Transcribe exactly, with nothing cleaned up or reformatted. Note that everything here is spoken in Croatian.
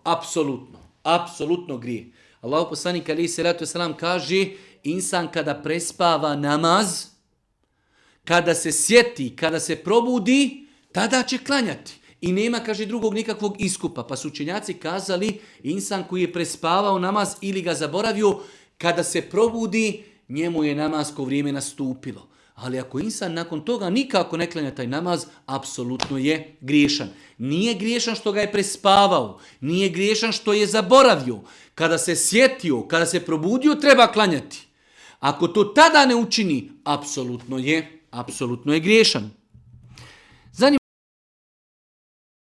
Apsolutno. Apsolutno grije. Allahu poslanik alejhi selatu vesselam kaže, insan kada prespava namaz, kada se sjeti, kada se probudi, tada će klanjati. I nema, kaže, drugog nikakvog iskupa. Pa su učenjaci kazali, insan koji je prespavao namaz ili ga zaboravio, kada se probudi, njemu je namasko vrijeme nastupilo. Ali ako insan nakon toga nikako ne klanja taj namaz, apsolutno je griješan. Nije griješan što ga je prespavao, nije griješan što je zaboravio. Kada se sjetio, kada se probudio, treba klanjati. Ako to tada ne učini, apsolutno je, apsolutno je griješan.